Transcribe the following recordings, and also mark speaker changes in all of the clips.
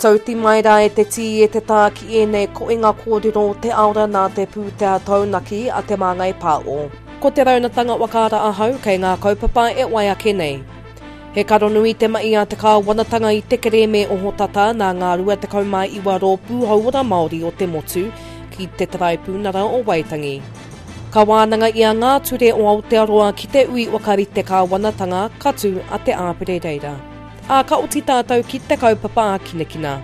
Speaker 1: Tauti mai rā e te tī e te tā ki ēnei koinga kōrero o te aora nā te pūtea taunaki a Te Māngai Pāo. Ko te raunatanga whakaara ahau kei ngā kaupapa e wai ake nei. He karonui te mahi a te kāwanatanga i te kerēme ohotata nā ngā 29 rōpū hauora Māori o te motu ki te Taraipiunara o Waitangi. Ka wānanga ia ngā ture o Aotearoa ki te ui whakarite kāwanatanga ka tū a Te Āpere reira. Ā, ka oti tātou ki te kaupapa ākinakina.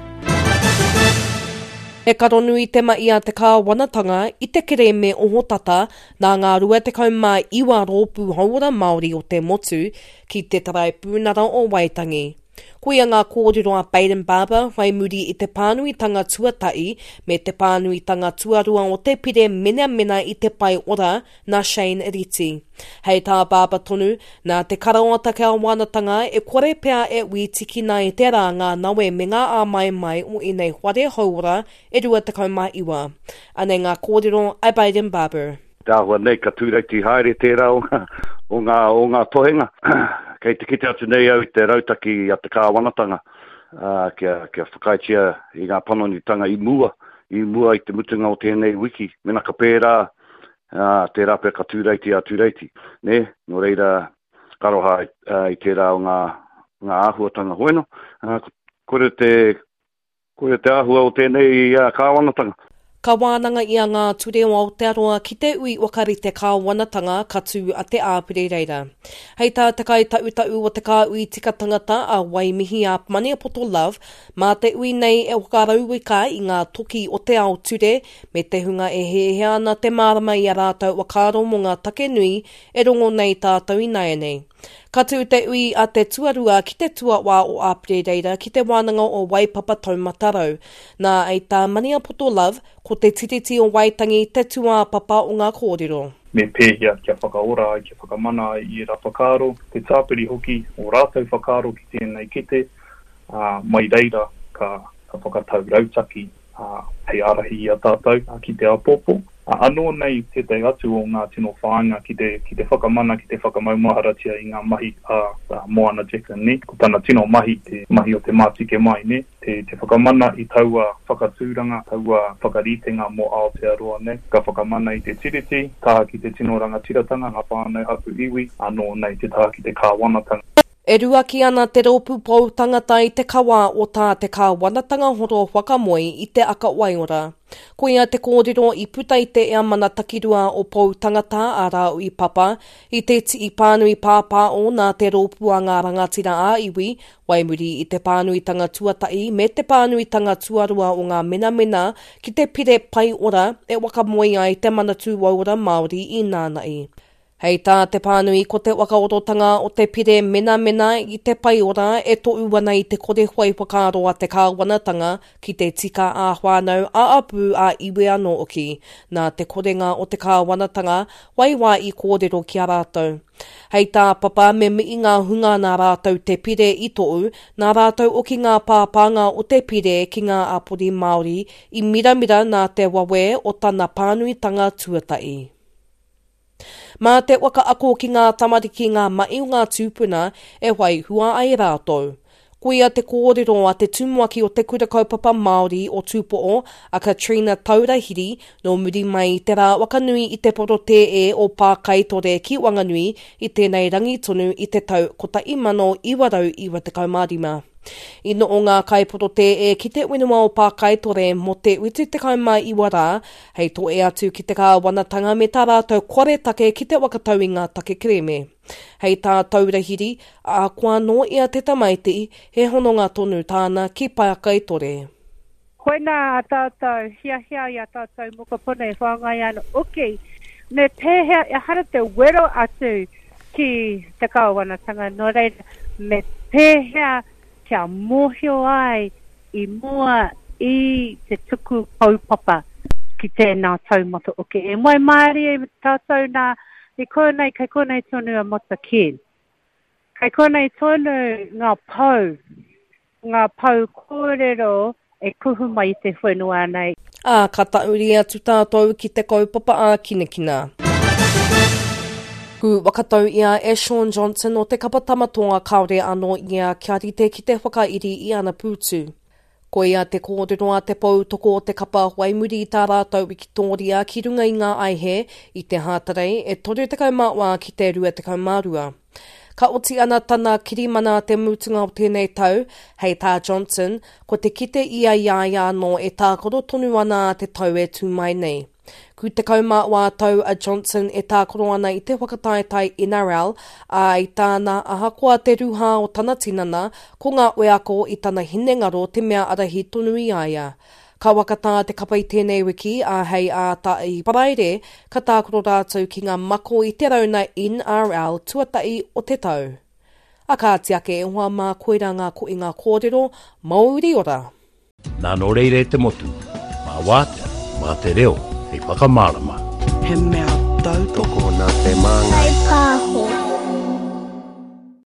Speaker 1: He karonui te mahi a te kāwanatanga i te kerēme ohotata nā ngā 29 rōpū hauora Māori o te motu ki te Taraipiunara o Waitangi. Koia ngā kōrero a Bayden Barber whai muri i te pānuitanga tuatahi me te pānuitanga tuarua o te pire menamena i te pae ora nā Shane Reti. Hei tā Barber tonu, nā te karaoata kāwanatanga e kore pea e wītikina e te rā ngā nawe me ngā āmaimai o ēnei whare hauora e 29. Anei ngā kōrero a Bayden Barber.
Speaker 2: Te āhua nei ka tūreiti haere tērā o ngā, o ngā, o ngā tohenga. Kei te kite atu nei au i te rautaki a te kāwanatanga, ā, kia, kia whakaaetia i ngā panonitanga i mua, i mua i te mutunga o tēnei wiki. Mēnā ka pērā, ā, tērā pea ka tūreiti a Tūreiti, nē? Nō reira, ka aroha i tērā o ngā, ngā āhuatanga hoeno. Ā, koira te, koira te āhua o tēnei kāwanatanga.
Speaker 1: Ka wānanga ia ngā ture o Aotearoa ki te ui whakarite kāwanatanga ka tū a Te Āpere reira. Hei tā te kaitautaū o te kāhui tika tangata a Waimihi a Maniapoto Love, mā te ui nei e whakarauika i ngā toki o te ao ture me te hunga e hiahia ana te mārama i a rātou whakaaro mō ngā take nui e rongo nei tātou ināianei. Ka tū te ui a te tuarua ki te tuawā o Āperereira ki te wānanga o Waipapa Taumatarau. Nā, hei tā Maniapoto Love, ko te Tiriti o Waitangi te tūāpapa o ngā kōrero.
Speaker 3: Me pēhea kia whakaora ai, kia whakamana ai i ērā whakaaro, te tāpiri hoki o rātou whakaaro ki tēnei kete, ā, mai reira ka whakatau rautaki ā, hei ārahi i a tātou ki te āpōpō. Ā, anō nei tētahi atu o ngā tino whāinga ki te, ki te whakamana, ki te whakamaumaharatia i ngā mahi a Moana Jacklin, nē. Ko tana tino mahi te mahi o te mātike mai, nē, te, te whakamana i taua whakatūranga, taua whakaritenga mō Aotearoa, nē. Ka whakamana i te Tiriti, taha ki te tino rangatiratanga, ngā whānau, hapū, iwi, anō nei te taha ki te kāwanatanga.
Speaker 1: E ruaki ana te Rōpū Pou Tangata i te kawa o tā te kāwanatanga horo whakamoe i te aka waiora. Koia te kōrero i puta i te Eamana Takirua o Pou Tangata a Rāui Papa i te tii pānui pāpāo nā te Rōpū a Ngā Rangatira ā-Iwi wai muri i te pānuitanga tuatahi me te pānuitanga tuarua o ngā menamena ki te pire pae ora e whakamoe ai te Manatū Waiora Māori i nāna'i. Hei tā te pānui ko te whakaorotanga o te pire menamena i te paeora e tohu ana i te kore whai whakaaro a te kāwanatanga ki te tika ā-whānau, ā-apū, ā-iwi anō hoki. Nā te korenga o te kāwanatanga whai wā i kōrero ki a rātou. Hei tā Papa me mihi ngā hunga nā rātou te pire i tohu, nā rātou hoki ngā pāpānga o te pire ki ngā hapori Māori i miramira nā te wawe o tana pānuitanga tuatahi. Mā te waka ako ki ngā tamariki ngā mahi o ngā tūpuna e whai hua ai rātou. Koia te kōrero a te tumuaki o Te Kura Kaupapa Māori o Tūpo'o, a Katrina Taurahiri, nō muri mai i te rā whakanui i te porotēē o Pākaitore ki Wanganui i tēnei rangi tonu i te tau 1995. I noho ngā kaiporotēē ki te whenua o Pākaitore mō te 79 rā, hei toe atu ki te kāwanatanga me tā rātou koretake ki te whakatau i ngā take kerēme. Hei tā Taurahiri, ahakoa nō ia te tamaiti, he hononga tonu tāna ki Pākaitore.
Speaker 4: Koinā a tātou hiahia i a tātou mokopuna e whāngai ana oki, me pēhea ehara te wero atu ki te kāwanatanga, nō reira, me pēhea kia mōhio ai i mua i te tuku kaupapa ki tēnā taumata oki. E waimarie tātou nā, i konei, kei konei tonu a Matakēn. Kei konei tonu ngā pou Ngā pou kōrero e kuhu mai i te whenua nei.
Speaker 1: Ā, ka tahuri atu tātou ki te kaupapa ākinakina. Ku whakatau ia e Shaun Johnson o te kapa Tama Toa kāore anō ia kia rite ki te whakairi i ana pūtu. Koia te kōrero a te pou toko o te kapa whai muri i tā rātou wikitōria ki runga i ngā aihe i te Hātarei e 34 ki te 22. Ka oti ana tana kirimana te mutunga o tēnei tau, hei tā Johnson, ko te kite ia i a ia anō e tākaro tonu ana a te tau e tū mai nei. Ku 14 tau a Johnson e tākaro ana i te whakataetae NRL, ā, i tāna, ahakoa te ruha o tana tinana, ko ngā wheako i tana hinengaro te mea arahi tonu i a ia. Ka whakatā te kapa i tēnei wiki, ā, hei ā i Paraire, ka tākaro rātou ki ngā mako i te rauna NRL tuatahi o te tau. A kāti ake e hoa mā koirā ngā koinga kōrero, Mauri ora!
Speaker 5: Nā nō reira e te motu, mā wātea, mā te reo hei whakamārama.
Speaker 6: He mea tautoko.
Speaker 7: Tokona te māngai.
Speaker 8: Whai pāho.